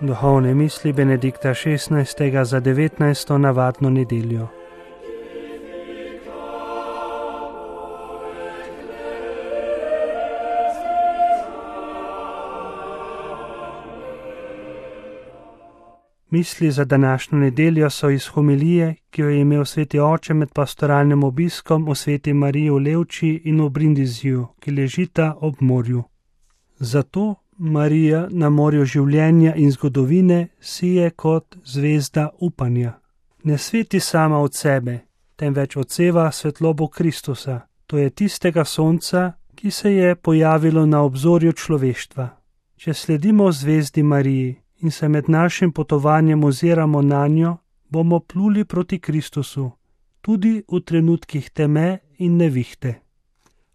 Duhovne misli Benedikta XVI. Za 19. navadno nedeljo. Misli za današnjo nedeljo so iz homilije, ki jo je imel sveti oče med pastoralnim obiskom v Sveti Mariji v Levči in v Brindiziju, ki ležita ob morju. Zato Marija na morju življenja in zgodovine sije kot zvezda upanja. Ne sveti sama od sebe, temveč odseva svetlobo Kristusa, to je tistega sonca, ki se je pojavilo na obzorju človeštva. Če sledimo zvezdi Mariji in se med našim potovanjem oziramo nanjo, bomo pluli proti Kristusu, tudi v trenutkih teme in nevihte.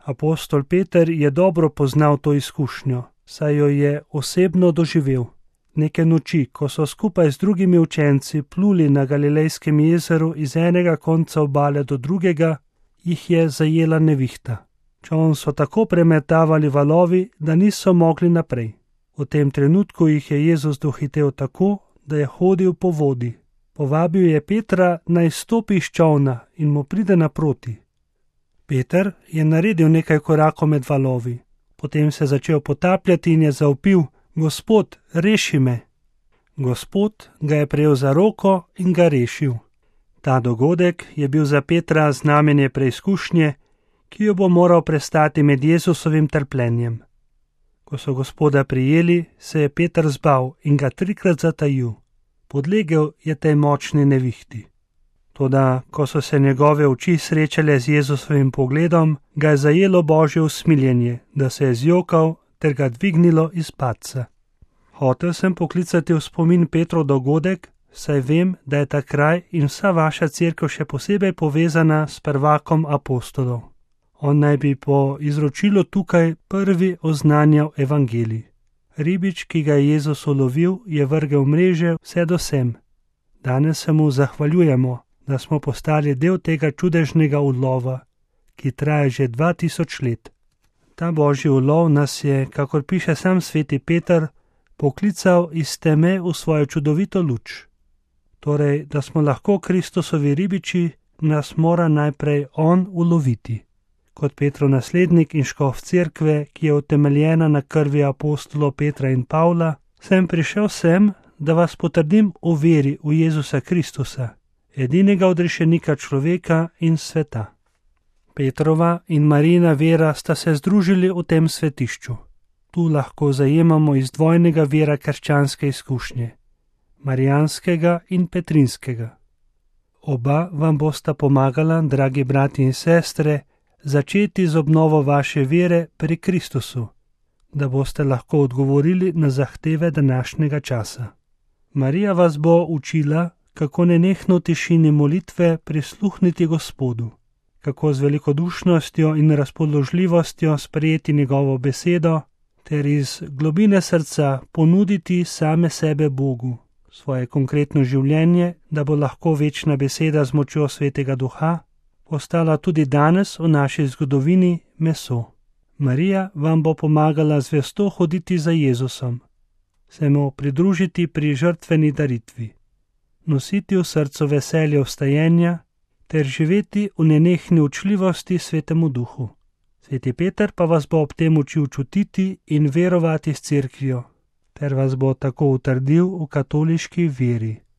Apostol Peter je dobro poznal to izkušnjo, saj jo je osebno doživel. Neke noči, ko so skupaj z drugimi učenci pluli na Galilejskem jezeru iz enega konca obale do drugega, jih je zajela nevihta. Čoln so tako premetavali valovi, da niso mogli naprej. V tem trenutku jih je Jezus dohitel tako, da je hodil po vodi. Povabil je Petra, naj stopi iz čolna in mu pride naproti. Peter je naredil nekaj korakov med valovi. Potem se je začel potapljati in je zavpil: Gospod, reši me! Gospod ga je prejel za roko in ga rešil. Ta dogodek je bil za Petra znamenje preizkušnje, ki jo bo moral prestati med Jezusovim trpljenjem. Ko so Gospoda prijeli, se je Peter zbal in ga 3krat zatajil. Podlegel je tej močni nevihti. Toda, ko so se njegove oči srečale z Jezusovim pogledom, ga je zajelo Božje usmiljenje, da se je zjokal ter ga dvignilo iz padca. Hotel sem poklicati v spomin Petrov dogodek, saj vem, da je ta kraj in vsa vaša cerkev še posebej povezana s prvakom apostolov. On naj bi po izročilu tukaj prvi oznanjal evangelij. Ribič, ki ga je Jezus ulovil, je vrgel mreže vse do sem. Danes se mu zahvaljujemo, da smo postali del tega čudežnega ulova, ki traja že 2000 let. Ta božji ulov nas je, kakor piše sam sveti Peter, poklical iz teme v svojo čudovito luč. Torej, da smo lahko Kristusovi ribiči, nas mora najprej on uloviti. Kot Petrov naslednik in škof cerkve, ki je utemeljena na krvi apostolov Petra in Pavla, sem prišel sem, da vas potrdim v veri v Jezusa Kristusa, edinega odrešenika človeka in sveta. Petrova in Marijina vera sta se združili v tem svetišču. Tu lahko zajemamo iz dvojnega vira krščanske izkušnje, marijanskega in petrinskega. Oba vam bosta pomagala, dragi brati in sestre, začeti z obnovo vaše vere pri Kristusu, da boste lahko odgovorili na zahteve današnjega časa. Marija vas bo učila, kako nenehno v tišini molitve prisluhniti Gospodu, kako z velikodušnostjo in razpoložljivostjo sprejeti njegovo besedo, ter iz globine srca ponuditi same sebe Bogu, svoje konkretno življenje, da bo lahko večna beseda z močjo Svetega Duha postala tudi danes v naši zgodovini meso. Marija vam bo pomagala zvesto hoditi za Jezusom, se mu pridružiti pri žrtveni daritvi, nositi v srcu veselje vstajenja ter živeti v nenehni učljivosti Svetemu Duhu. Sveti Peter pa vas bo ob tem učil čutiti in verovati s cerkvijo, ter vas bo tako utrdil v katoliški veri.